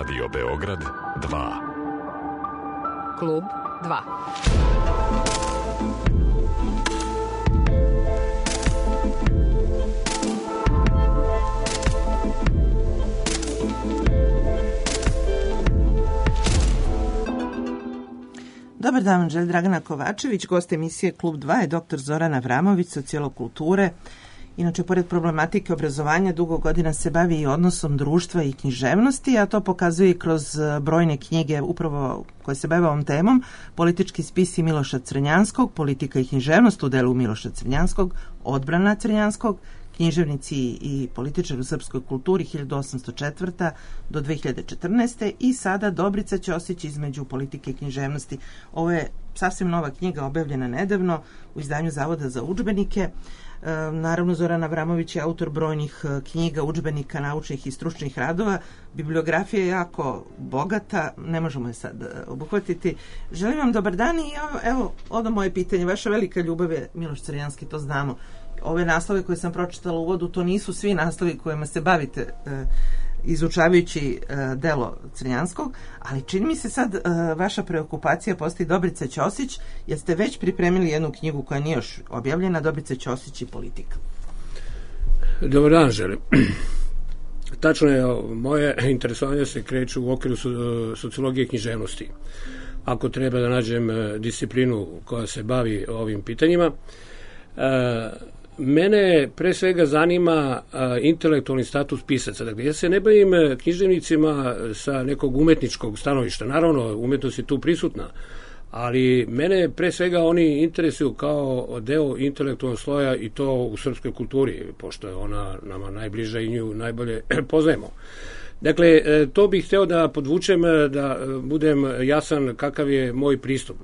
Radio Beograd 2. Klub 2. Dobar dan, želim Dragana Kovačević. Gost emisije Klub 2 je dr. Zoran Avramović, sociolog kulture. Inače, pored problematike obrazovanja, dugo godina se bavi i odnosom društva i književnosti, a to pokazuje i kroz brojne knjige upravo koje se bave ovom temom. Politički spisi Miloša Crnjanskog, Politika i književnost u delu Miloša Crnjanskog, Odbrana Crnjanskog, Književnici i političar u srpskoj kulturi 1804. do 2014. i sada Dobrica Ćosić između politike i književnosti. Ovo je sasvim nova knjiga, objavljena nedavno u izdanju Zavoda za udžbenike. Naravno, Zoran Avramović je autor brojnih knjiga, udžbenika, naučnih i stručnih radova. Bibliografija je jako bogata, ne možemo je sad obuhvatiti. Želim vam dobar dan i evo moje pitanje. Vaša velika ljubav je Miloš Crnjanski, to znamo. Ove naslove koje sam pročitala u uvodu, to nisu svi naslovi kojima se bavite izučavajući delo Crnjanskog, ali čini mi se sad vaša preokupacija postoji Dobrica Ćosić, jer ste već pripremili jednu knjigu koja nije još objavljena, Dobrica Ćosić i politika. Dobar dan, želim. Tačno je, moje interesovanje se kreću u okviru sociologije književnosti. Ako treba da nađem disciplinu koja se bavi ovim pitanjima, mene pre svega zanima intelektualni status pisaca. Dakle, ja se ne bavim književnicima sa nekog umetničkog stanovišta. Naravno, umetnost je tu prisutna, ali mene pre svega oni interesuju kao deo intelektualnog sloja i to u srpskoj kulturi, pošto je ona nama najbliža i nju najbolje poznajemo. Dakle, to bih hteo da podvučem, da budem jasan kakav je moj pristup.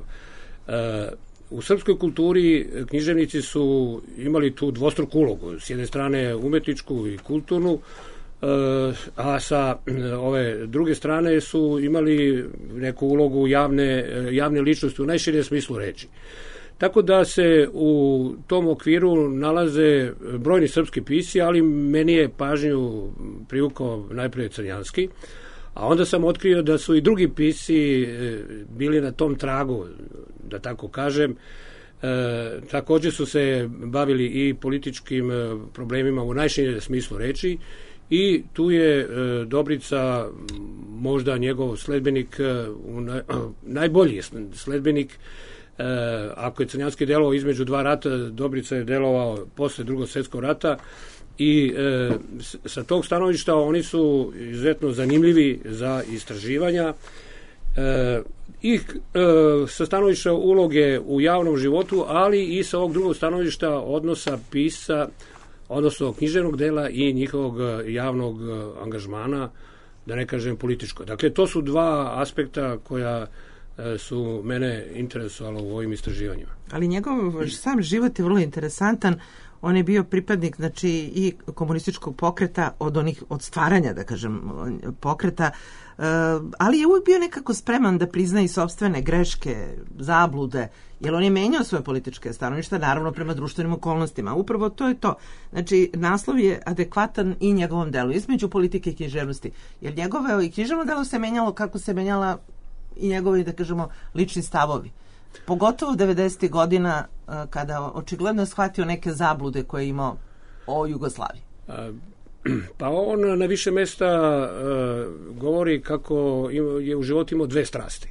U srpskoj kulturi književnici su imali tu dvostruku ulogu, s jedne strane umetničku i kulturnu, a sa ove druge strane su imali neku ulogu javne ličnosti u najširijem smislu reči. Tako da se u tom okviru nalaze brojni srpski pisci, ali meni je pažnju privukao najprije Crnjanski, a onda sam otkrio da su i drugi pisci bili na tom tragu, da tako kažem. Također su se bavili i političkim problemima u najširem smislu reči i tu je Dobrica možda njegov sledbenik, najbolji sledbenik. Ako je Crnjanski delovao između dva rata, Dobrica je delovao posle Drugog svjetskog rata i sa tog stanovišta oni su izuzetno zanimljivi za istraživanja i sa stanovišta uloge u javnom životu, ali i sa ovog drugog stanovišta odnosa pisca, odnosno književnog dela i njihovog javnog angažmana, da ne kažem političko. Dakle, to su dva aspekta koja su mene interesovalo u ovim istraživanjima. Ali njegov sam život je vrlo interesantan. On je bio pripadnik, znači, i komunističkog pokreta od stvaranja, da kažem, pokreta, ali je uvijek bio nekako spreman da prizna i sopstvene greške, zablude, jer on je menjao svoje političke stanovišta, naravno prema društvenim okolnostima. Upravo to je to. Znači, naslov je adekvatan i njegovom delu, između politike i književnosti. Jer njegovo i književno delo se menjalo kako se menjala i njegovi, da kažemo, lični stavovi. Pogotovo 90. godina, kada očigledno je shvatio neke zablude koje je imao o Jugoslaviji. Pa on na više mesta govori kako je u životu imao dve strasti.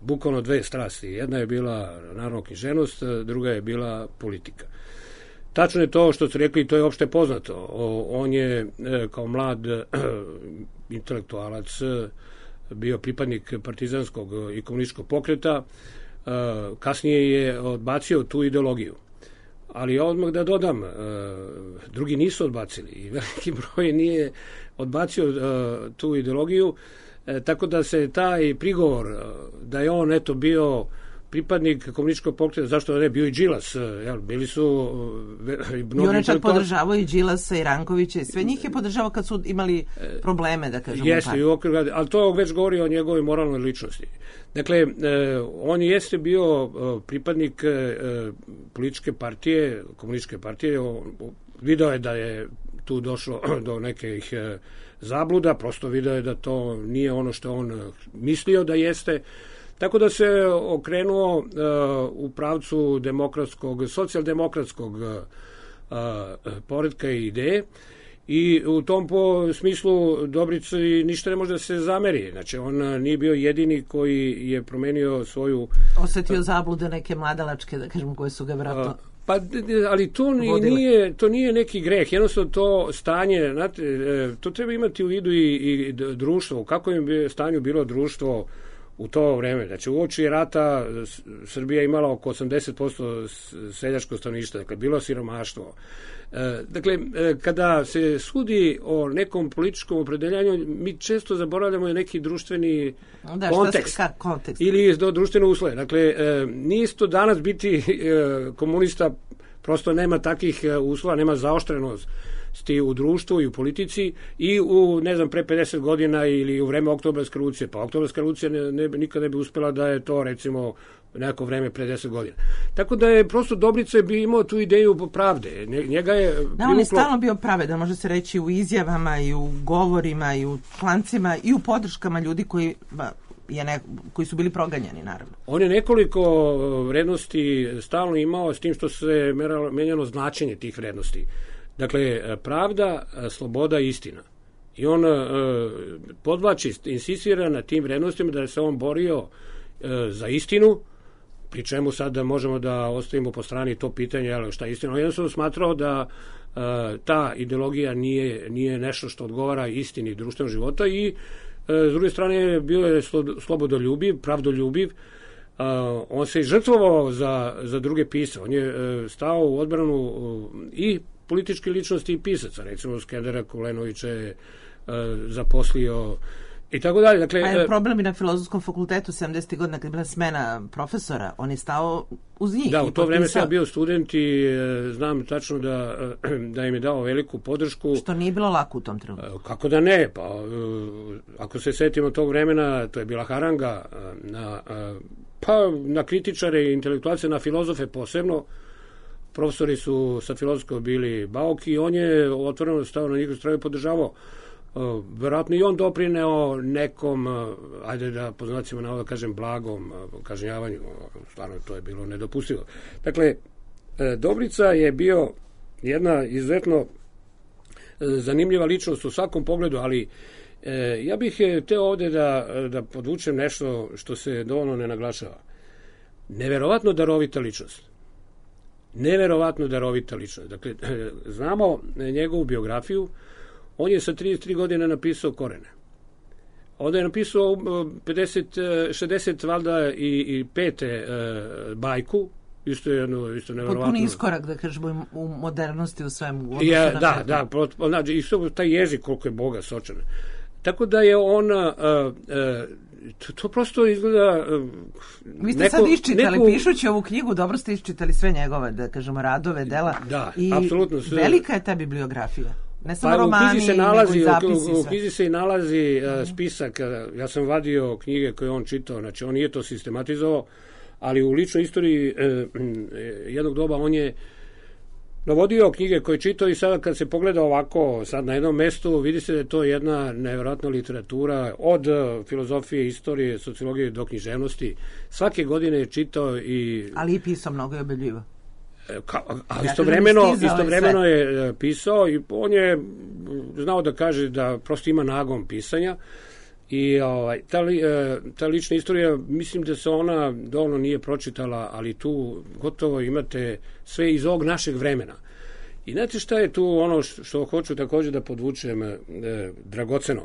Bukvalno dve strasti. Jedna je bila naravno književnost, druga je bila politika. Tačno je to što ste rekli, to je opšte poznato. On je kao mlad intelektualac bio pripadnik partizanskog i komunističkog pokreta, kasnije je odbacio tu ideologiju. Ali ja odmah da dodam, drugi nisu odbacili i veliki broj nije odbacio tu ideologiju, tako da se taj prigovor da je on bio pripadnik komunističkog pokreta, zašto ne, bio i Đilas, bili su i on je čak podržavao i Đilasa i Rankovića i sve njih je podržavao kad su imali probleme, da kažemo. Jeste, ali to već govori o njegovoj moralnoj ličnosti. Dakle, on jeste bio pripadnik političke partije, komunističke partije, video je da je tu došlo do nekih zabluda, prosto video je da to nije ono što on mislio da jeste. Tako da se okrenuo u pravcu socijaldemokratskog poretka i ideje i u tom smislu Dobrici ništa ne može da se zameri. Znači, on nije bio jedini koji je promenio svoju... Osetio zablude neke mladalačke, da kažemo, koje su ga vratno... Pa, ali to nije neki greh, jednostavno to stanje, znate, to treba imati u vidu i društvo, u kakvom je stanju bilo društvo u to vreme. Znači, uoči rata Srbija imala oko 80% seljačkog stanovništva, dakle, bilo siromaštvo. Dakle, kada se sudi o nekom političkom opredeljanju, mi često zaboravljamo neki društveni kontekst ili društvene uslove. Dakle, nije to danas biti komunista, prosto nema takih uslova, nema zaoštrenosti u društvu i u politici i u, ne znam, pre 50 godina ili u vreme Oktobarske revolucije. Pa Oktobarska revolucija nikad ne bi uspela da je to, recimo, neko vreme pre 10 godina. Tako da je prosto Dobrica bi imao tu ideju pravde. Njega je... Da, on je stalno bio pravedan, može se reći u izjavama i u govorima i u člancima i u podrškama ljudi koji su bili proganjani, naravno. On je nekoliko vrednosti stalno imao, s tim što se menjalo značenje tih vrednosti. Dakle, pravda, sloboda i istina. I on podvlači, insistira na tim vrednostima da se on borio za istinu, pri čemu sad možemo da ostavimo po strani to pitanje, šta je istina. On jednostavno smatrao da ta ideologija nije nešto što odgovara istini društvenog života i s druge strane bio je slobodoljubiv, pravdoljubiv. On se i žrtvovao za druge pisce. On je stao u odbranu i političke ličnosti i pisaca. Recimo, Skendera Kulenovića je zaposlio i tako dalje. Dakle, pa je problem i na Filozofskom fakultetu 70. godina kad je bila smena profesora, on je stao uz njih. Da, u to vreme sam ja bio student i znam tačno da im je dao veliku podršku. Što nije bilo lako u tom trenutku. Kako da ne? Pa, ako se setimo tog vremena, to je bila haranga na kritičare i intelektualce, na filozofe posebno. Profesori su sa filozofskog bili bauki i on je otvoreno stao na njihovu stranu i podržavao. Verovatno i on doprineo nekom, ajde da po znacima navoda kažem, blagom kažnjavanju. Stvarno to je bilo nedopustivo. Dakle, Dobrica je bio jedna izuzetno zanimljiva ličnost u svakom pogledu, ali ja bih hteo ovde da podvučem nešto što se dovoljno ne naglašava. Neverovatno darovita ličnost. Neverovatno darovita ličnost. Dakle, znamo njegovu biografiju. On je sa 33 godine napisao Korene. Onda je napisao 60 valjda i 5 bajku, isto neverovatno. Potpuni iskorak, da kažemo, u modernosti u svemu. Znači, isto taj jezik koliko je Boga sočan. Tako da je on to prosto izgleda... Vi ste sad iščitali, pišući ovu knjigu, dobro ste iščitali sve njegove, da kažemo, radove, dela. Da, i apsolutno. Velika je ta bibliografija. Ne samo romani, nego i zapisi. U knjizi se i nalazi spisak. Ja sam vadio knjige koje on čitao, znači on nije to sistematizovao, ali u ličnoj istoriji jednog doba on je navodio knjige koje je čitao i sada kad se pogleda ovako sad na jednom mestu, vidi se da je to jedna nevjerojatna literatura od filozofije, istorije, sociologije do književnosti. Svake godine je čitao i... Ali i pisao mnogo i objavljivo. A istovremeno je pisao i on je znao da kaže da prosto ima nagon pisanja i ta lična istorija, mislim da se ona dovoljno nije pročitala, ali tu gotovo imate sve iz ovog našeg vremena. I znate šta je tu ono što hoću također da podvučem dragoceno?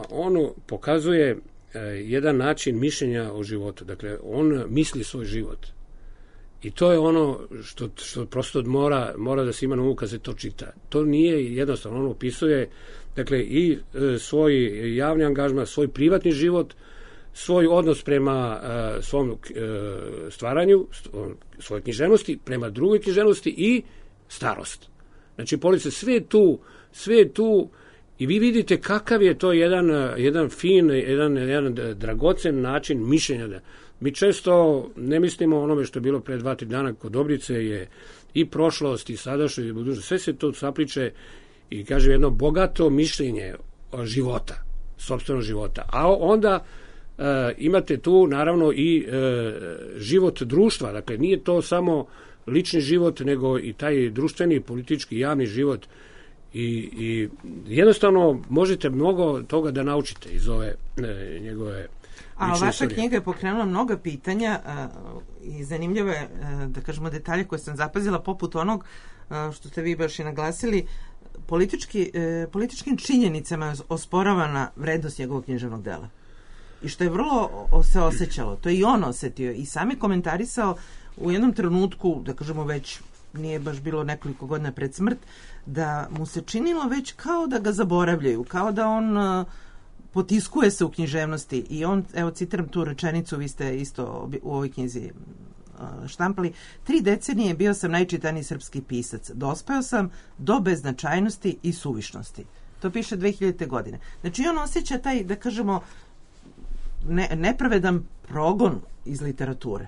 On pokazuje jedan način mišljenja o životu. Dakle, on misli svoj život. I to je ono što prosto mora da se ima na umu kad se to čita. To nije jednostavno. On opisuje, dakle, i svoj javni angažman, svoj privatni život, svoj odnos prema svom stvaranju, svoje književnosti, prema drugoj književnosti i starost. Znači, police, sve je tu i vi vidite kakav je to jedan fin, jedan dragocen način mišljenja. Mi često ne mislimo o onome što je bilo pre 2-3 dana kod Dobrice, je i prošlost i sadašnjost i budućnost. Sve se to sapliče i kažem jedno bogato mišljenje života, sopstvenog života. A onda imate tu naravno i život društva, dakle nije to samo lični život, nego i taj društveni, politički, javni život i jednostavno možete mnogo toga da naučite iz ove njegove. A vaša knjiga je pokrenula mnoga pitanja i zanimljivo je, da kažemo, detalje koje sam zapazila, poput onog što ste vi baš i naglasili, političkim činjenicama je osporavana vrednost njegovog književnog dela. I što je vrlo se osjećalo, to je i on osetio i sam je komentarisao u jednom trenutku, da kažemo već nije baš bilo nekoliko godina pred smrt, da mu se činilo već kao da ga zaboravljaju, kao da on potiskuje se u književnosti i on, evo citiram tu rečenicu, vi ste isto u ovoj knjizi štampali, 3 decenije bio sam najčitaniji srpski pisac, dospeo sam do beznačajnosti i suvišnosti. To piše 2000. godine. Znači on osjeća taj, da kažemo, nepravedan progon iz literature,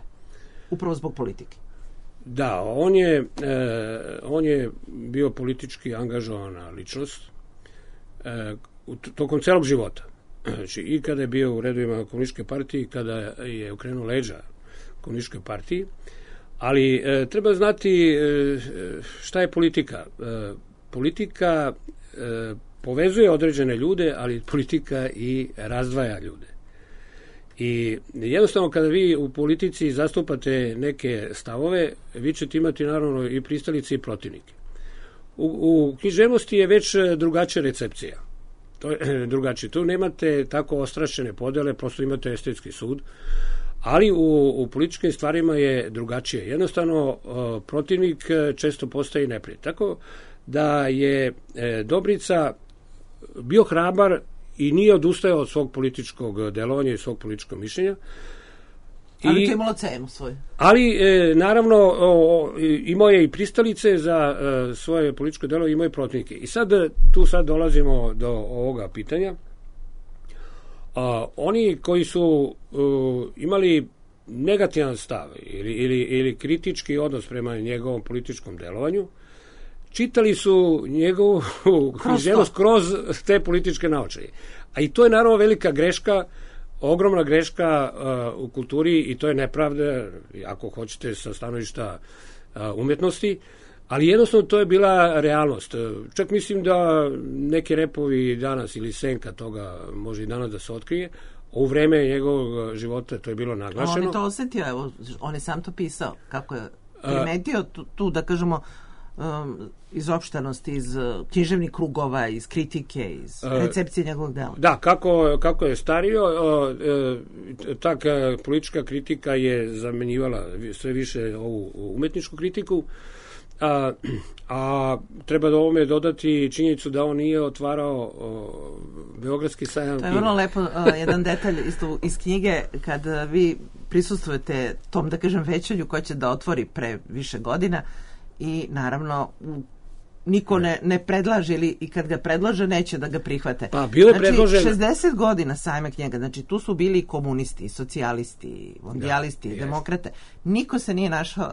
upravo zbog politike. Da, on je bio politički angažovana ličnost tokom celog života. Znači, i kada je bio u redovima komunističke partije, i kada je okrenuo leđa komunističke partiji, ali treba znati šta je politika. Politika povezuje određene ljude, ali politika i razdvaja ljude. I jednostavno kada vi u politici zastupate neke stavove, vi ćete imati naravno i pristalice i protivnike. U književnosti je već drugačija recepcija. To je drugačije. Tu nemate tako ostrašćene podele, prosto imate estetski sud, ali u političkim stvarima je drugačije. Jednostavno, protivnik često postaje neprijatelj. Tako da je Dobrica bio hrabar i nije odustajao od svog političkog delovanja i svog političkog mišljenja. Ali to je imalo cenu svoju. Ali, naravno, imao je i pristalice za svoje političko delo, imao je protivnike. I tu dolazimo do ovoga pitanja. Oni koji su imali negativan stav ili kritički odnos prema njegovom političkom delovanju, čitali su njegovu književnost kroz te političke naočaje. A i to je naravno velika greška, ogromna greška u kulturi i to je nepravda, ako hoćete, sa stanovišta umjetnosti, ali jednostavno to je bila realnost. Čak mislim da neki repovi danas ili senka toga može i danas da se otkrije, u vreme njegovog života to je bilo naglašeno. On je to osetio, evo, on je sam to pisao, kako je primetio tu, da kažemo, izopštenost iz književnih krugova, iz kritike, iz recepcije njegovog dela. Da, kako je stario, ta politička kritika je zamenjivala sve više ovu umetničku kritiku, a treba da ovome dodati činjenicu da on nije otvarao Beogradski sajam. To je vrlo lepo, jedan detalj isto iz knjige, kad vi prisustvujete tom, da kažem, većanju koje će da otvori pre više godina i naravno niko ne predlaže i kad ga predlaže neće da ga prihvate. Pa, bilo je predloženo. 60 godina sajma knjiga, znači tu su bili komunisti, socijalisti, mondijalisti, demokrate. Niko se nije našao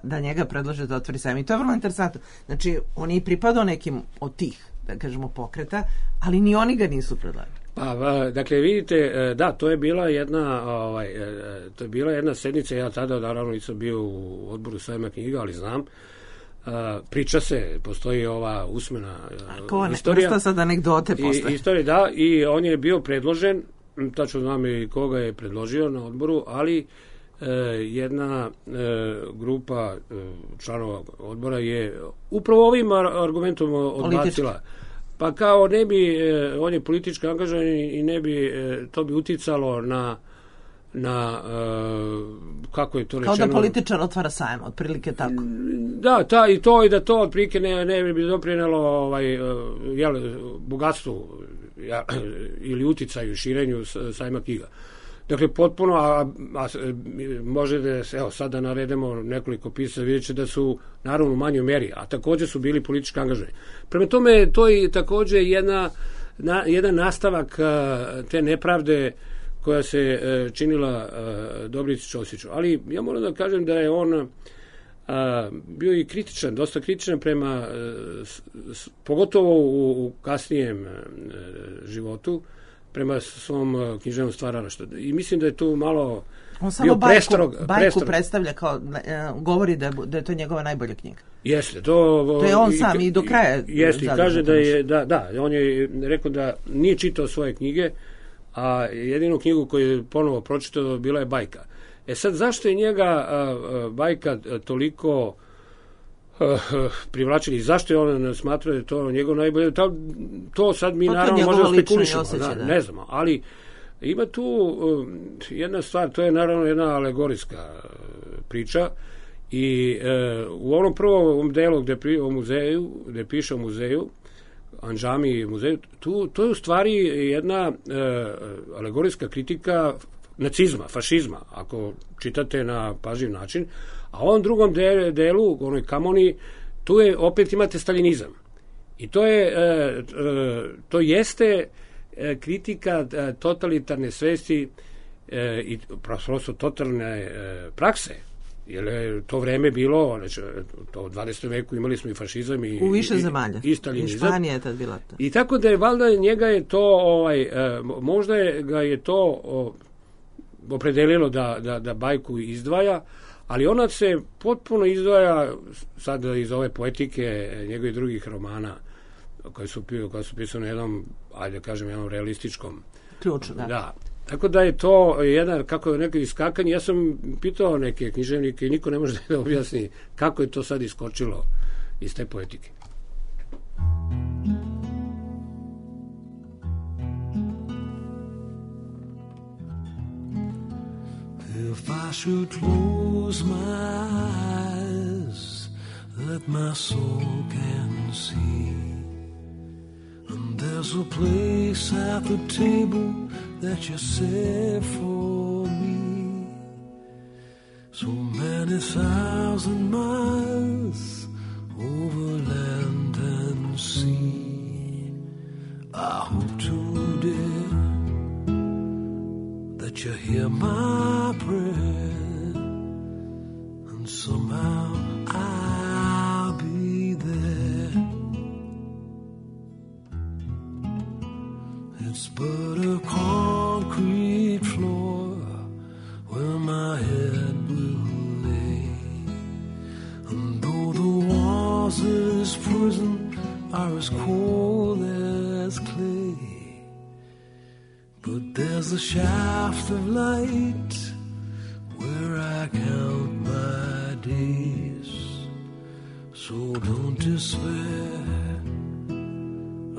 da njega predlože da otvori sajam. I to je vrlo interesantno. Znači, on je i pripadao nekim od tih, da kažemo, pokreta, ali ni oni ga nisu predlagali. Pa, dakle, vidite, da, to je bila jedna sednica, ja tada naravno nisam bio u odboru sajma knjiga, ali znam. Priča se, postoji ova usmena istorija. Ko sad anegdote postoje. Istorija, da, i on je bio predložen, tačno znam i koga je predložio na odboru, ali jedna grupa članova odbora je upravo ovim argumentom odbacila. Pa kao ne bi, on je politički angažovan i ne bi, to bi uticalo na kako je to rečeno. Kao da političar otvara sajam, otprilike tako. Da, i da to otprilike ne bi doprinelo bogatstvu ili uticaju, širenju sajma knjiga. Dakle, potpuno, a može da se, evo, sad da naredemo nekoliko pisaca, vidjet će da su naravno u manjoj meri, a također su bili politički angažovani. Prema tome, to je također jedan nastavak te nepravde koja se činila Dobrici Ćosiću. Ali ja moram da kažem da je on bio i kritičan, dosta kritičan prema, pogotovo u kasnijem životu, prema svom književnom stvaralaštvu. I mislim da je tu malo on samo bajku predstavlja kao, govori da je to njegova najbolja knjiga. Jeste, to je on sam i do kraja. Jeste, i kaže da, on je rekao da nije čitao svoje knjige, a jedinu knjigu koju je ponovo pročitao bila je bajka. Sad, zašto je njega bajka toliko privlačila i zašto je on smatrao da je to njegov najbolje? To sad mi naravno možemo spekulišemo, ne znamo, ali ima tu jedna stvar, to je naravno jedna alegorijska priča i u onom prvom delu gde piše o muzeju, Andžami muzeju, to je u stvari jedna alegorijska kritika nacizma, fašizma, ako čitate na pažljiv način, a u ovom drugom delu, u onoj Kamoni, tu je, opet imate staljinizam. I to jeste kritika totalitarne svesti i prosto totalne prakse, jer je to vreme bilo, znači, to u 20. veku imali smo i fašizam i u više zemalja. I staljinizam. I Španija je tad bila to. I tako da je, valjda, njega je to, možda ga je to opredelilo da bajku izdvaja, ali ona se potpuno izdvaja sad iz ove poetike njegovih drugih romana koje su pisane na jednom, ajde kažem, jednom realističkom ključu, da. Tako da je to jedan, kako je neko iskakanje. Ja sam pitao neke književnike i niko ne može da objasni kako je to sad iskočilo iz te poetike. If I should close my eyes that my soul can see, and there's a place at the table that you set for me, so many thousand miles over land and sea, I hope today that you hear my prayer, and somehow I'll be there. It's but a concrete floor where my head will lay, and though the walls of this prison are as cold as clay, but there's a shaft of light where I count my days. So don't despair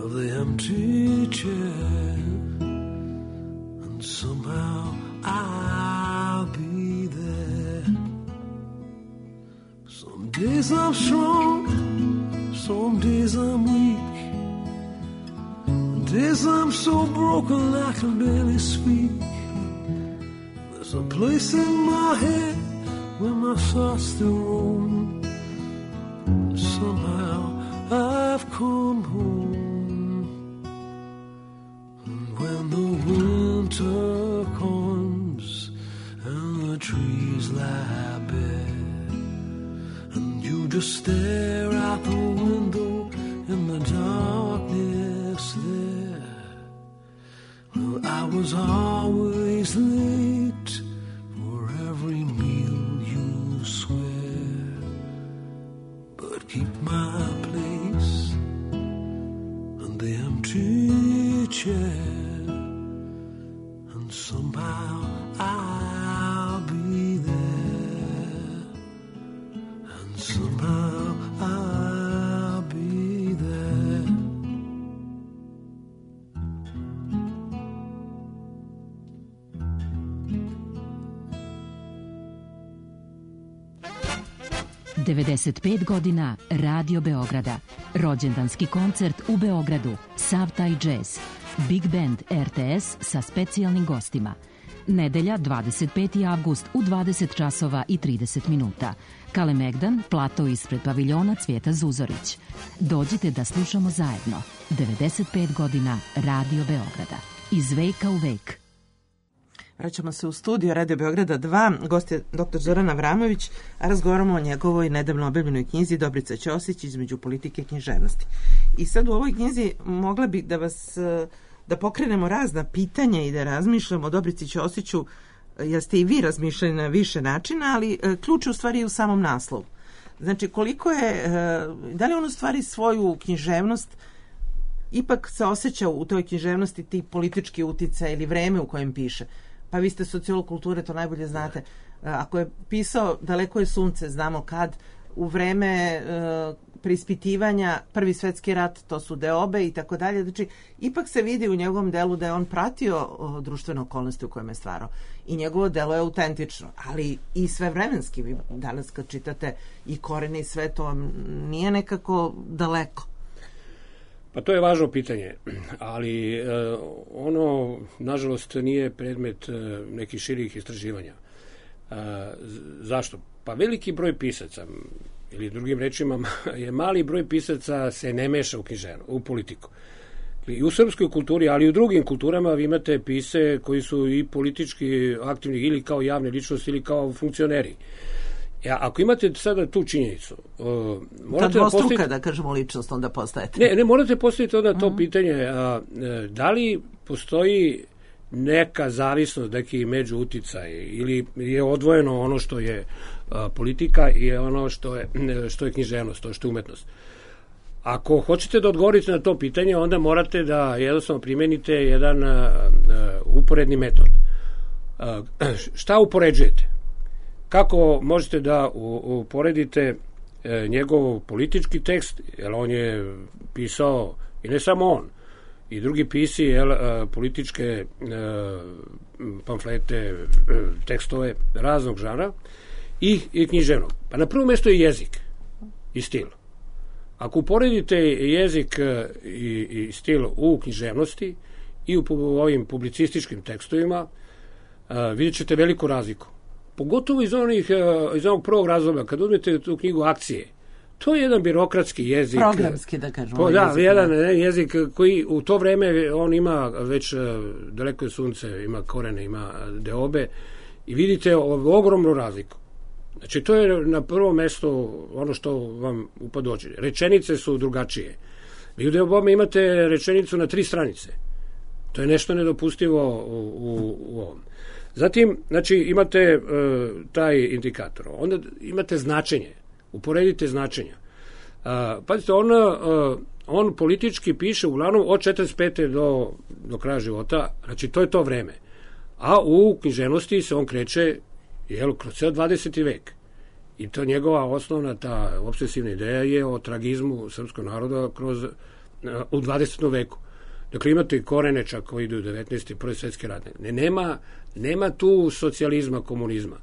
of the empty chair, and somehow I'll be there. Some days I'm strong, some days I'm weak, days I'm so broken I can barely speak. There's a place in my head where my thoughts still roam. Somehow I've come home. And when the winter comes and the trees lie bare, and you just stare out the window in the darkness there, well, I was always late for every meal you swear, but keep my place in the empty chair, and somehow I'll be there, and somehow I'll be there. ...95 godina Radio Beograda. Rođendanski koncert u Beogradu. Sav taj džez. Big Band RTS sa specijalnim gostima. Nedelja, 25. avgust u 20 časova i 30 minuta. Kalemegdan, plato ispred paviljona Cvijeta Zuzorić. Dođite da slušamo zajedno. 95 godina Radio Beograda. Iz veka u vek. Vraćamo se u studio Radio Beograda 2. Gost je dr. Zoran Avramović, a razgovaramo o njegovoj nedavno objavljenoj knjizi Dobrica Ćosić između politike i književnosti. I sad u ovoj knjizi mogla bih da pokrenemo razna pitanja i da razmišljamo o Dobrici Ćosiću, jer ste i vi razmišljali na više načina, ali ključ je u stvari u samom naslovu. Znači, koliko je, da li on u stvari svoju književnost ipak se osjeća u toj književnosti ti politički uticaj ili vreme u kojem piše? Pa vi ste sociolog kulture, to najbolje znate. Ako je pisao Daleko je sunce, znamo kad, u vreme preispitivanja Prvi svetski rat, to su deobe i tako dalje. Znači, ipak se vidi u njegovom delu da je on pratio društvene okolnosti u kojem je stvarao. I njegovo delo je autentično, ali i svevremenski. Vi danas kad čitate i Korene i sve, to vam nije nekako daleko. Pa to je važno pitanje, ali ono, nažalost, nije predmet nekih širih istraživanja. Zašto? Pa veliki broj pisaca, ili drugim rečima, je mali broj pisaca se ne meša u politiku. I u srpskoj kulturi, ali i u drugim kulturama vi imate pise koji su i politički aktivni ili kao javne ličnosti ili kao funkcioneri. Ako imate sada tu činjenicu, morate dvostruka, da kažemo, ličnost onda postajete. Ne, morate postaviti onda to pitanje, da li postoji neka zavisnost, neki međuuticaj, ili je odvojeno ono što je politika i ono što je književnost, to što je umetnost. Ako hoćete da odgovorite na to pitanje, onda morate da jednostavno primenite jedan uporedni metod. Šta upoređujete? Kako možete da uporedite njegov politički tekst, jer on je pisao, i ne samo on, i drugi pisci, političke pamflete, tekstove raznog žanra i književnog. Pa na prvom mjestu je jezik i stil. Ako uporedite jezik i stil u književnosti i u ovim publicističkim tekstovima, vidjet ćete veliku razliku. Pogotovo iz onog prvog razloga, kad uzmete tu knjigu Akcije, to je jedan birokratski jezik. Programski, da kažemo. Da, jedan jezik koji u to vreme on ima već Daleko je sunce, ima Korene, ima deobe i vidite ogromnu razliku. Znači, to je na prvo mesto ono što vam upad dođe. Rečenice su drugačije. Vi u deobome imate rečenicu na 3 stranice. To je nešto nedopustivo u ovom. Zatim, znači, imate taj indikator. Onda imate značenje. Uporedite značenja. Pazite, on politički piše uglavnom od 45. do kraja života. Znači, to je to vreme. A u književnosti se on kreće kroz ceo 20. vek. I to njegova osnovna, ta obsesivna ideja je o tragizmu srpskog naroda u 20. veku. Dakle, imate i Korene čak koji idu u 19. Prvi svetski rat. Nema tu socijalizma, komunizma.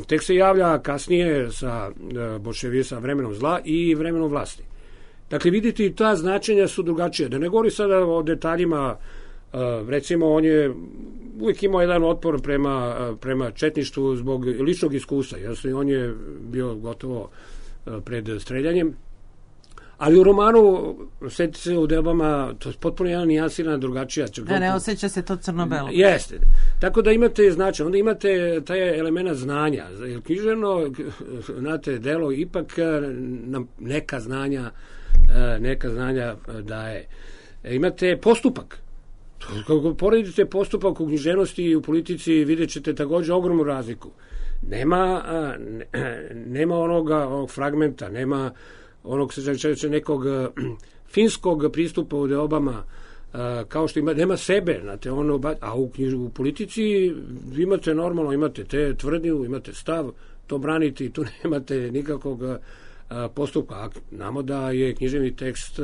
Tek se javlja kasnije sa sa vremenom zla i vremenom vlasti. Dakle, vidite, ta značenja su drugačije. Da ne govori sada o detaljima, recimo, on je uvijek imao jedan otpor prema četništvu zbog ličnog iskustva. On je bio gotovo pred streljanjem. Ali u romanu, setite se u deobama, to je potpuno jedan nijansirana drugačija. Ne osjeća se to crno-belo. Jeste. Tako da imate značaj. Onda imate taj element znanja. Književno, znate, delo ipak nam neka znanja daje. Imate postupak. Kako poredite postupak u književnosti i u politici, vidjet ćete također ogromnu razliku. Nema onog fragmenta, nema onog nekog finskog pristupa u deobama, kao što nema sebe, znate, a u politici imate normalno, imate te tvrdnju, imate stav, to braniti, tu nemate nikakvog postupka. A znamo da je književni tekst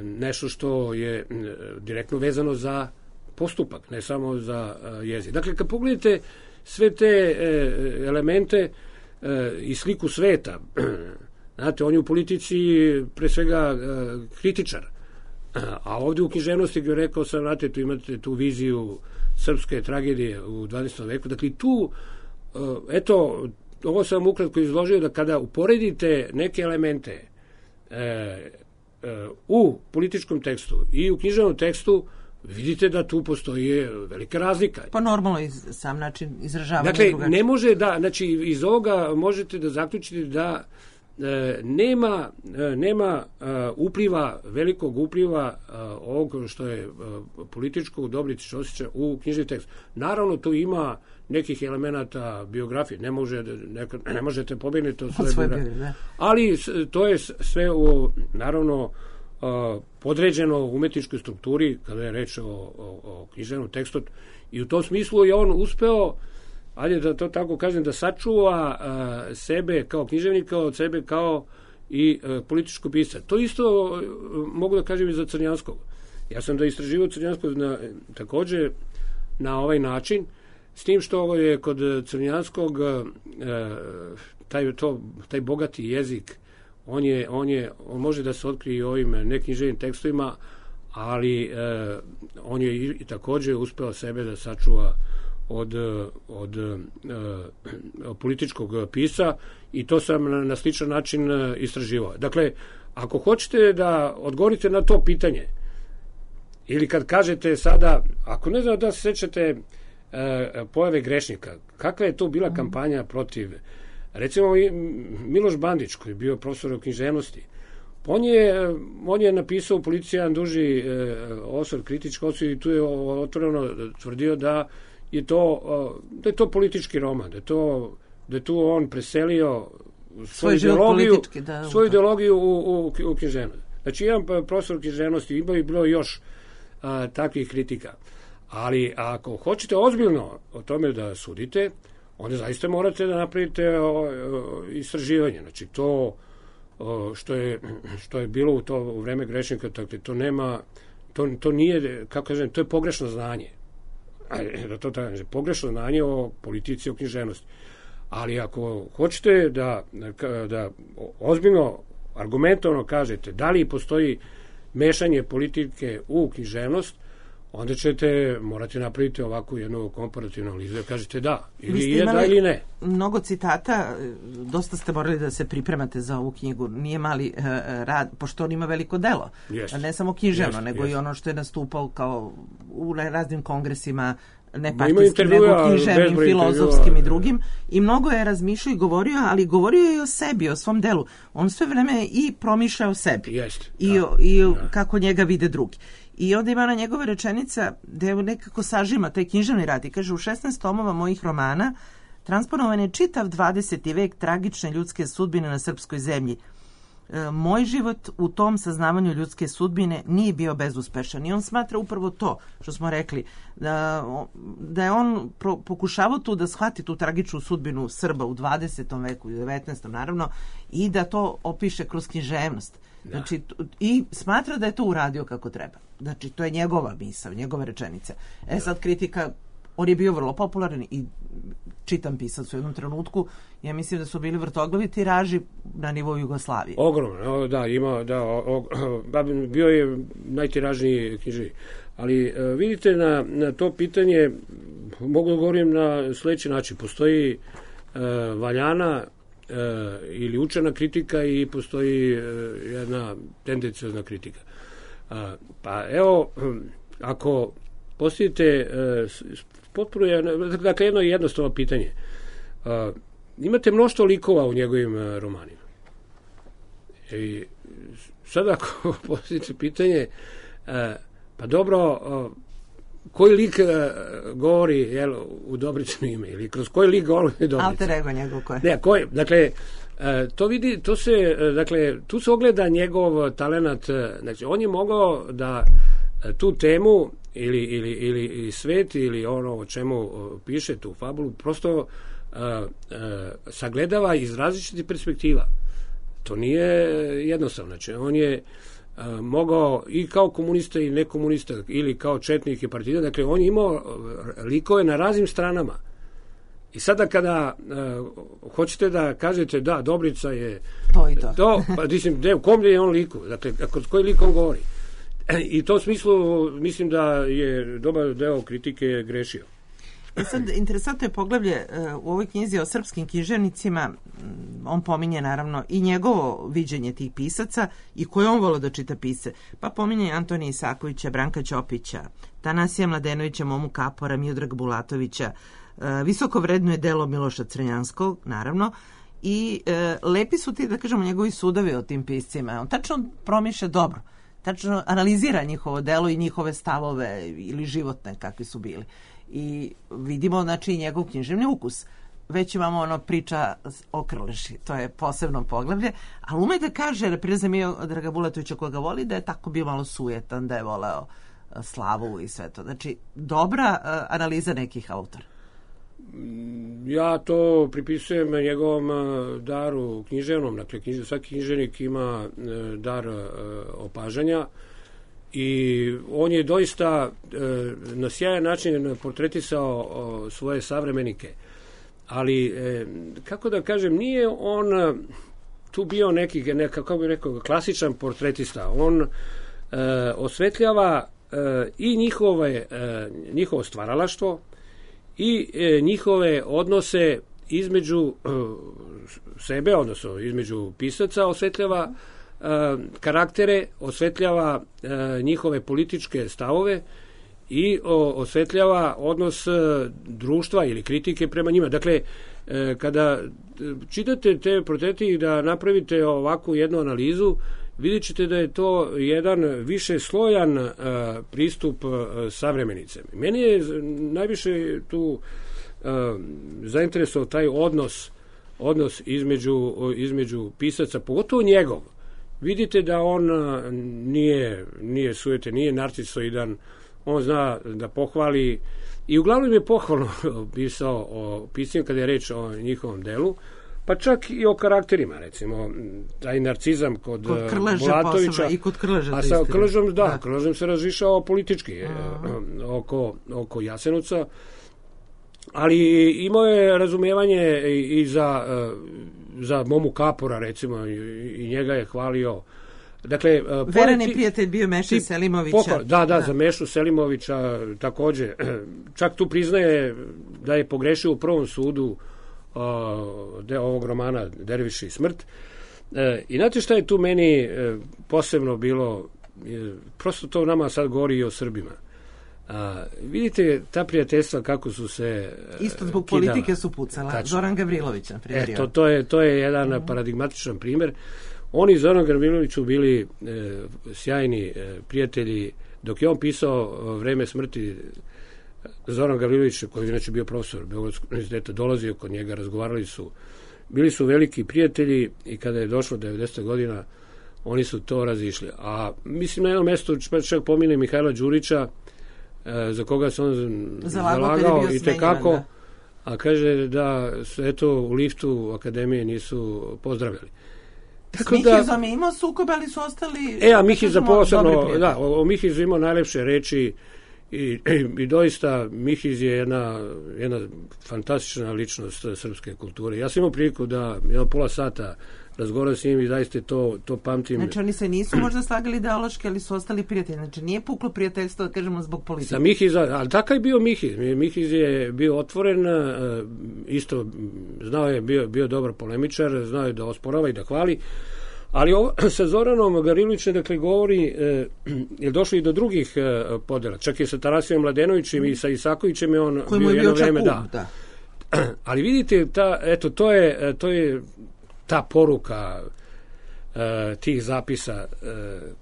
nešto što je direktno vezano za postupak, ne samo za jezik. Dakle, kad pogledate sve te elemente i sliku sveta, znate, on je u politici pre svega kritičar, a ovdje u književnosti, gdje rekao sam, znate, tu imate tu viziju srpske tragedije u 20. veku. Dakle, tu, eto, ovo sam ukratko izložio, da kada uporedite neke elemente u političkom tekstu i u književnom tekstu, vidite da tu postoji velika razlika. Pa normalno sam način izražavanja dakle, drugačije. ne može da, znači iz ovoga možete da zaključite da nema upliva, velikog upliva ovog što je političkog Dobrić osjeća u knjižni tekst. Naravno, tu ima nekih elemenata biografije, ne možete pobegnuti od svoje biografije. Ali to je sve naravno podređeno umetničkoj strukturi kada je reč o književnom tekstu i u tom smislu je on uspeo, ajde da to tako kažem, da sačuva sebe kao književnika od sebe kao i političkog pisca. To isto mogu da kažem i za Crnjanskog. Ja sam da istraživao Crnjanskog takođe na ovaj način, s tim što je kod Crnjanskog taj bogati jezik, on može da se otkrije i ovim neknjiževnim tekstovima, ali on je i takođe uspeo sebe da sačuva od političkog pisa i to sam na sličan način istraživao. Dakle, ako hoćete da odgovorite na to pitanje, ili kad kažete sada, ako ne znam da se sećate pojave Grešnika, kakva je to bila kampanja protiv, recimo Miloš Bandić, koji je bio profesor književnosti, on je napisao u Policiji jedan duži osvrt, kritički osvrt, i tu je otvoreno tvrdio da je to politički roman, da je tu on preselio svoju ideologiju u književnost. Znači, jedan profesor književnosti, bilo još takvih kritika. Ali ako hoćete ozbiljno o tome da sudite, onda zaista morate da napravite istraživanje. Znači, to što je bilo u vreme Grešnika, to nije, kako kažem, to je pogrešno znanje. Pogrešno znanje o politici, o književnosti. Ali ako hoćete da ozbiljno, argumentovano kažete da li postoji mešanje politike u književnost, onda ćete morati napraviti ovakvu jednu komparativnu analizu da kažete da, ili je da ili ne. Mnogo citata, dosta ste morali da se pripremate za ovu knjigu, nije mali rad, pošto on ima veliko delo, ne samo književno, nego i ono što je nastupao kao u raznim kongresima, ne partijskim, nego književnim, filozofskim i drugim, i mnogo je razmišljao i govorio, ali govorio je i o sebi, o svom delu. On sve vreme i promišlja o sebi i kako njega vide drugi. I onda ima na njegove rečenica gde nekako sažima taj književni rad i kaže: u 16 tomova mojih romana transponovan je čitav 20. vek tragične ljudske sudbine na srpskoj zemlji. Moj život u tom saznavanju ljudske sudbine nije bio bezuspešan i on smatra upravo to što smo rekli, da je on pokušavao tu da shvati tu tragičnu sudbinu Srba u 20. veku i 19. naravno, i da to opiše kroz književnost. Znači, i smatra da je to uradio kako treba. Znači, to je njegova misao, njegova rečenica. Sad kritika, on je bio vrlo popularan i čitam pisac u jednom trenutku, ja mislim da su bili vrtoglavi tiraži na nivou Jugoslavije. Ogromno, bio je najtiražniji književnik. Ali vidite, na to pitanje mogu da govorim na sledeći način. Postoji valjana ili učena kritika i postoji jedna tendenciozna kritika. Pa evo, ako postavite potpuno, dakle, jedno jednostavno pitanje. Imate mnoštvo likova u njegovim romanima. I sad ako postavite pitanje, pa dobro, koji lik govori u Dobrićino ime, ili kroz koji lik govori Dobrić? Alter ego njegov koje? Ne, koji, dakle, tu se ogleda njegov talenat, znači, on je mogao da tu temu ili svet ili ono o čemu piše tu fabulu prosto sagledava iz različitih perspektiva. To nije jednostavno. Znači, on je mogao i kao komunista i nekomunista, ili kao četnik i partizan, dakle, on je imao likove na raznim stranama. I sada kada hoćete da kažete da, Dobrica je to, pa u kom je on liku, dakle, kroz koji lik on govori. I u tom smislu mislim da je dobar deo kritike grešio. Sad, interesantno je poglavlje u ovoj knjizi o srpskim književnicima. On pominje naravno i njegovo viđenje tih pisaca i koje on volio da čita pise. Pa pominje Antonija Isakovića, Branka Ćopića, Tanasija Mladenovića, Momu Kapora, Miodraga Bulatovića. Visoko vrednuje delo Miloša Crnjanskog, naravno. I lepi su ti, da kažemo, njegovi sudovi o tim piscima. On tačno promišlja dobro. Tačno analizira njihovo delo i njihove stavove ili životne kakvi su bili. I vidimo, znači, njegov književni ukus. Već imamo ono priča o Krleži, to je posebno poglavlje, ali ume da kaže, repriza Miodraga Bulatovića koga voli, da je tako bio malo sujetan, da je voleo slavu i sve to. Znači, dobra analiza nekih autora. Ja to pripisujem njegovom daru književnom. Dakle, svaki književnik ima dar opažanja i on je doista na sjajan način portretisao svoje savremenike. Ali, kako da kažem, nije on tu bio kako bih rekao, klasičan portretista. On osvetljava i njihovo stvaralaštvo i njihove odnose između sebe, odnosno između pisaca, osvetljava karaktere, osvetljava njihove političke stavove i osvetljava odnos društva ili kritike prema njima. Dakle, kada čitate te portrete i da napravite ovakvu jednu analizu, vidjet ćete da je to jedan više slojan pristup savremenice. Meni je najviše tu zainteresovao taj odnos između pisaca, pogotovo njegov. Vidite da on nije sujete, nije narcisoidan, on zna da pohvali i uglavnom je pohvalno pisao o pisanju kada je reč o njihovom delu, pa čak i o karakterima, recimo, taj narcizam kod Bulatovića. I kod Krleže. A sa Krležom, Krležom se razrišao politički oko Jasenovca, ali imao je razumijevanje i za Momu Kapora, recimo, i njega je hvalio. Dakle, verani prijatelj bio Meša Selimovića. Za Mešu Selimovića takođe. Čak tu priznaje da je pogrešio u prvom sudu ovog romana Derviši i smrt. I znate šta je tu meni posebno bilo, prosto to nama sad govori i o Srbima. Vidite ta prijateljstva kako su se isto zbog kidala. Politike su pucala. Tačno. Zoran Gavrilović, na primjer. To je jedan paradigmatičan primer. Oni i Zoran Gavrilović su bili sjajni prijatelji. Dok je on pisao Vreme smrti, Zoran Gavrilović, koji je inače bio profesor Beogradskog univerziteta, dolazio kod njega, bili su veliki prijatelji i kada je došlo 90. godina, oni su to razišli. A mislim na jednom mestu, čak pomine Mihajla Đurića, za koga se on zalagao i tekako, a kaže da se u liftu akademije nisu pozdravljali. S Mihizom je imao sukobe, ali su ostali... a Mihiza posebno, o Mihizu imao najlepše reči i doista Mihiz je jedna fantastična ličnost srpske kulture. Ja sam imao priliku da pola sata razgovaram s njim i zaista to pamtim. Znači oni se nisu možda slagali ideološki, ali su ostali prijatelji. Znači nije puklo prijateljstvo, da kažemo, zbog politike. Sa Mihiza, ali takav je bio Mihiz. Mihiz je bio otvoren, isto znao je, bio dobar polemičar, znao je da osporava i da hvali. Ali sa Zoranom Gavrilovićem, dakle, govori, je došlo i do drugih podela. Čak i sa Tanasijom Mladenovićem i sa Isakovićem je on bio jedno vreme, da. Ali vidite, to je ta poruka tih zapisa,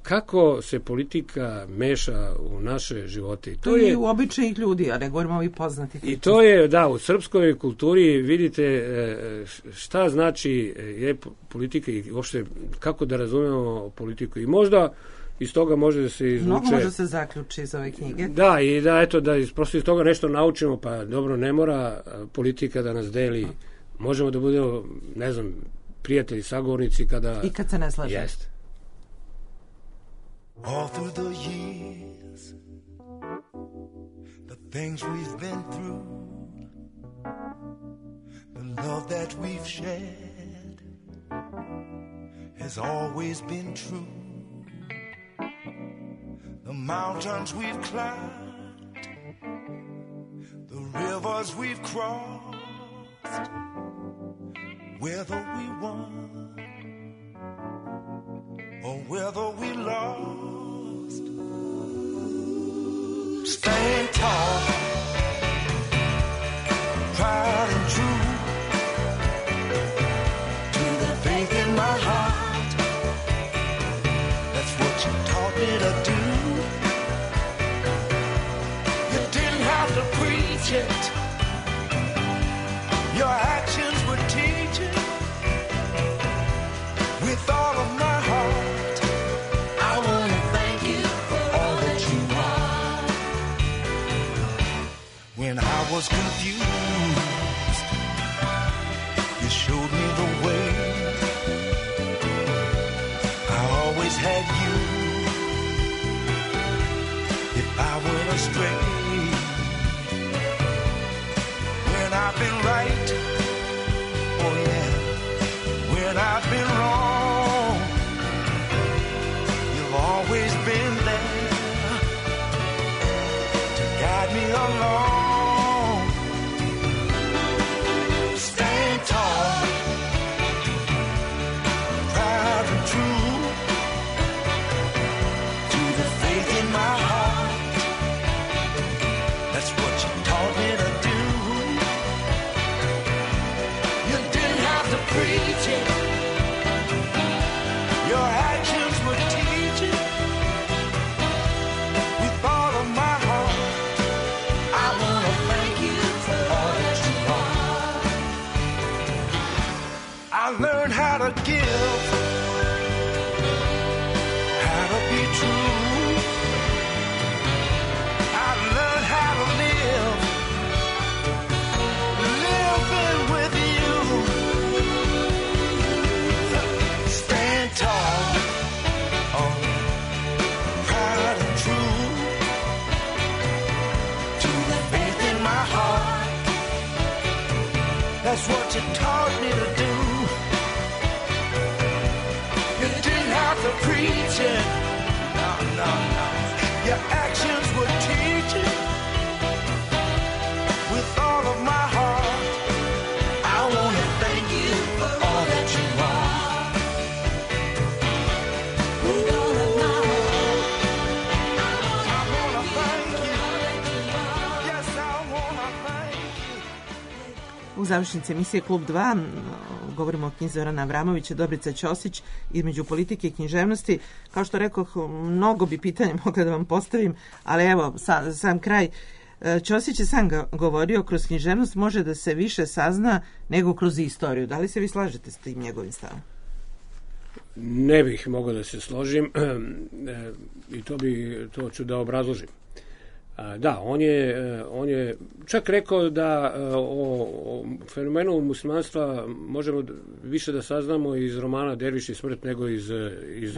kako se politika meša u naše živote. To je u običajnih ljudi, a ne govorimo ovi poznati. I to je, u srpskoj kulturi vidite šta znači politika i uopšte kako da razumemo politiku. I možda iz toga može da se izvuče... Mnogo može se zaključi iz ove knjige. Da, i da prosto iz toga nešto naučimo, pa dobro, ne mora politika da nas deli. Možemo da budemo, ne znam, prijatelji, sagovornici kada... I kad se ne slaže. Jest. All through the years, the things we've been through, the love that we've shared has always been true. The mountains we've climbed, the river rivers we've crossed, whether we won or whether we lost, stand tall, proud and true to the faith in my heart. That's what you taught me to do. You didn't have to preach it, your actions would teach it. With all of my heart, I want to thank you for all that you are. When I was confused, you showed me the way. I always had you if I went astray. When I've been right, oh yeah, when I've been wrong, you've always been there to guide me along. Stand tall, proud and true to the faith in my heart. That's what you taught me to do. You didn't have to preach it, your actions would teach it. With all of my heart, I want to thank you for all that you are. I learned how to give, how to be true. I learned how to live, living with you. Stand tall, oh, proud and true to the faith in my heart. That's what you taught me to do. You didn't have to preach it, no, no, no. Your actions would teach it. With all of my heart, I want to thank you for all that you are. With all of my heart, I want to thank you. Yes, I want to thank you. U završnici emisije Klub 2 govorimo o knjizi Zorana Avramovića, Dobrica Ćosić, između politike i književnosti. Kao što rekoh, mnogo bi pitanja mogla da vam postavim, ali evo, sam kraj. Ćosić je sam govorio, kroz književnost može da se više sazna nego kroz istoriju. Da li se vi slažete s tim njegovim stavom? Ne bih mogao da se složim i to ću da obrazložim. Da, on je čak rekao da o fenomenu muslimanstva možemo više da saznamo iz romana Derviš i smrt nego iz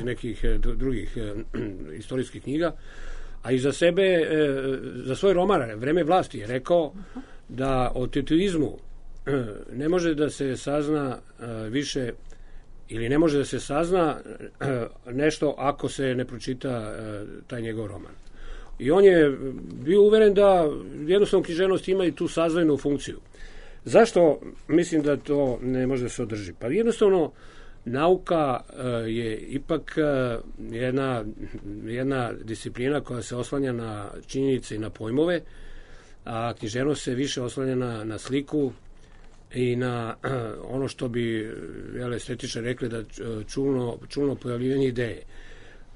nekih drugih istorijskih knjiga, a i za sebe, za svoj roman Vreme vlasti je rekao da o tetuizmu ne može da se sazna više ili ne može da se sazna nešto ako se ne pročita taj njegov roman. I on je bio uveren da jednostavno književnost ima i tu sazvojnu funkciju. Zašto mislim da to ne može da se održi? Pa jednostavno nauka je ipak jedna disciplina koja se oslanja na činjenice i na pojmove, a književnost se više oslanja na sliku i na ono što bi estetičari rekli da čulno pojavljivanje ideje.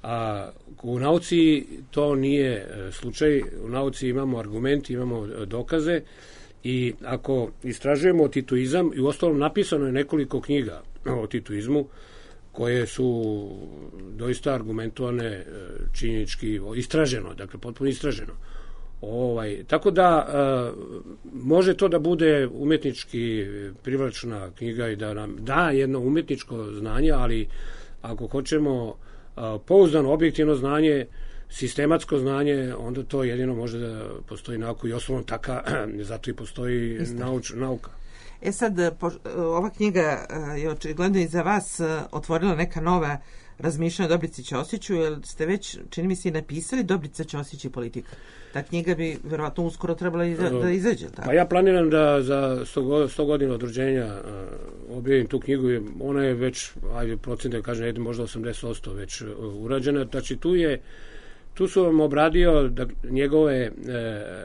A u nauci to nije slučaj. U nauci imamo argumenti, imamo dokaze i ako istražujemo tituizam, i uostalom napisano je nekoliko knjiga o tituizmu koje su doista argumentovane, činjenički istraženo, dakle potpuno istraženo. Tako da može to da bude umetnički privlačna knjiga i da nam da jedno umetničko znanje, ali ako hoćemo pouzdano, objektivno znanje, sistematsko znanje, onda to jedino može da postoji nauka i osnovno taka, zato i postoji nauka. Sad, ova knjiga je očigledno i za vas otvorila neka nova razmišljanja o Dobrici Ćosiću, jer ste već, čini mi se, i napisali Dobrica Ćosić i politika. Ta knjiga bi verovatno uskoro trebala da izađe. Tako? Pa ja planiram da za 100 godina od rođenja objavim tu knjigu. Ona je već, procent da kažem, možda 80% već urađena. Znači tu su vam obradio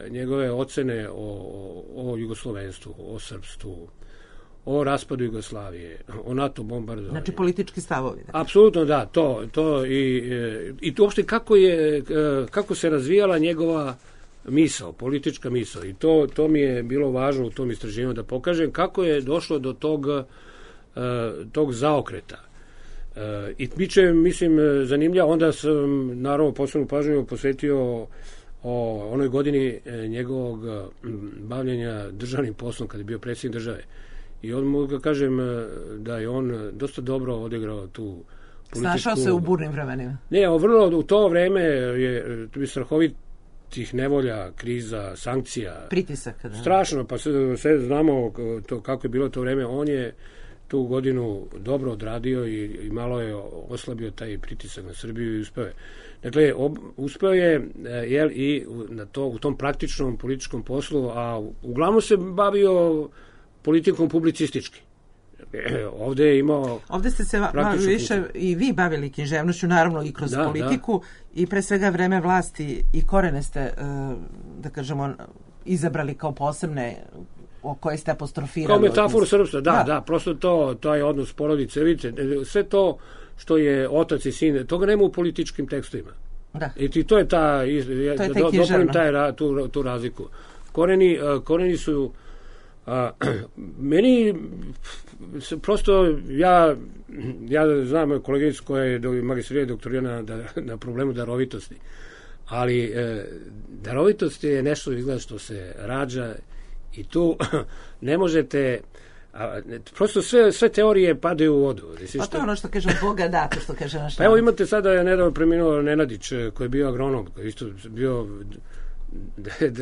njegove ocene o jugoslovenstvu, o srpstvu, o raspadu Jugoslavije, o NATO bombardovanju. Znači politički stavovi. Apsolutno da, to i to uopšte kako se razvijala njegova misao, politička misao. I to mi je bilo važno u tom istraživanju da pokažem kako je došlo do tog zaokreta. I biće, mislim, zanimljivo. Onda sam, naravno, posebnu pažnju posvetio o onoj godini njegovog bavljenja državnim poslom kada je bio predsjednik države. I on mogu da kažem da je on dosta dobro odigrao tu političku... Snašao se u burnim vremenima. Ne, vrlo u to vreme je strahovitih nevolja, kriza, sankcija. Pritisaka, da. Strašno, pa sve znamo to, kako je bilo to vreme. On je tu godinu dobro odradio i malo je oslabio taj pritisak na Srbiju i uspeo je. Dakle, uspeo je i u tom praktičnom političkom poslu, a uglavnom se bavio politikom publicistički. Ovde je imao... Ovde ste se više i vi bavili književnošću, naravno i kroz politiku, i pre svega vreme vlasti i korene ste, da kažemo, izabrali kao posebne o koje ste apostrofirali. Kao metaforu srpstva, da, prosto to je odnos porodice. Vidite, sve to što je otac i sin, toga nema u političkim tekstovima. Da. I to je tu razliku. Koreni su meni prosto ja znam koleginicu koja je magistrirala doktorirana na problemu darovitosti, ali darovitost je nešto izgleda što se rađa i tu ne možete prosto sve teorije padaju u vodu. Pa to je ono što kaže Boga dato, što kaže naš. Pa evo imate sada nedavno preminuo Nenadić koji je bio agronom, koji isto bio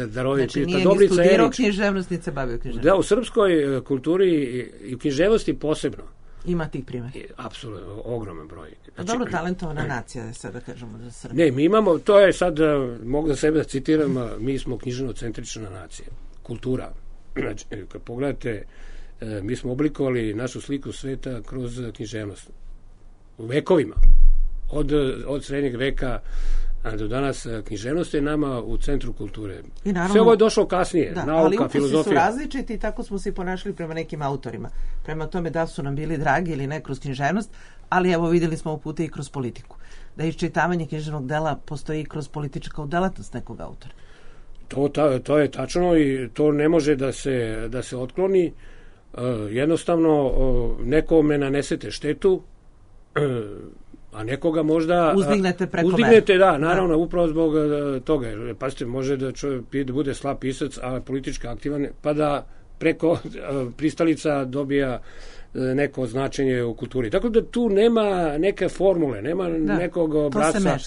darovit. Znači nije ni studirao književnost, ni se bavio književnost. Da, u srpskoj kulturi i u književnosti posebno. Ima tih primjera. Apsolutno, ogroman broj. Znači, dobro talentovana nacija je sada, kažemo, za Srbiju. Ne, mi imamo, to je sad, mogu da sebe da citiram, mi smo književno-centrična nacija. Kultura. Znači, kad pogledate, mi smo oblikovali našu sliku sveta kroz književnost. U vekovima. Od srednjeg veka do danas književnost je nama u centru kulture. Sve ovo je došlo kasnije, nauka, filozofija. Ali ukusi su različiti i tako smo se ponašali prema nekim autorima. Prema tome da su nam bili dragi ili ne kroz književnost, ali evo vidjeli smo upute i kroz politiku. Da iščitavanje književnog dela postoji i kroz političku delatnost nekog autora. To je tačno i to ne može da se otkloni. Jednostavno nekome nanesete štetu, a nekoga možda uzdignete preko uzdignete, da, naravno, upravo zbog toga. Pazite, može da bude slab pisac, a politički aktivan, pa da preko pristalica dobija neko značenje u kulturi. Tako da tu nema neke formule, nema nekog obrasca,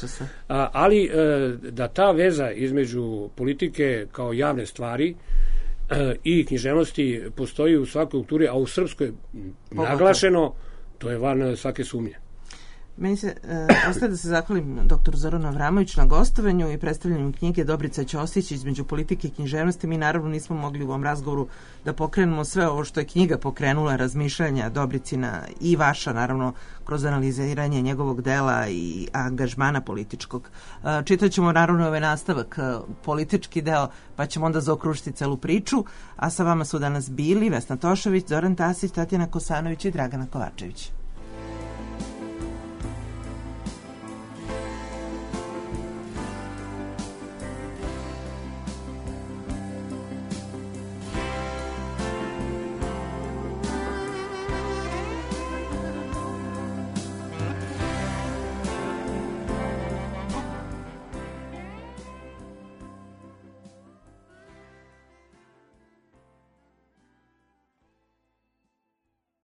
ali da ta veza između politike kao javne stvari i književnosti postoji u svakoj kulturi, a u srpskoj naglašeno, to je van svake sumnje. Meni se ostaje da se zahvalim dr. Zoranu Avramoviću na gostovanju i predstavljanju knjige Dobrica Ćosić između politike i književnosti. Mi naravno nismo mogli u ovom razgovoru da pokrenemo sve ovo što je knjiga pokrenula, razmišljanja Dobricina i vaša, naravno, kroz analiziranje njegovog dela i angažmana političkog. Čitat ćemo naravno ovaj nastavak, politički deo, pa ćemo onda zaokružiti celu priču, a sa vama su danas bili Vesna Tošović, Zoran Tasić, Tatjana Kosanović i Dragana Kovačević.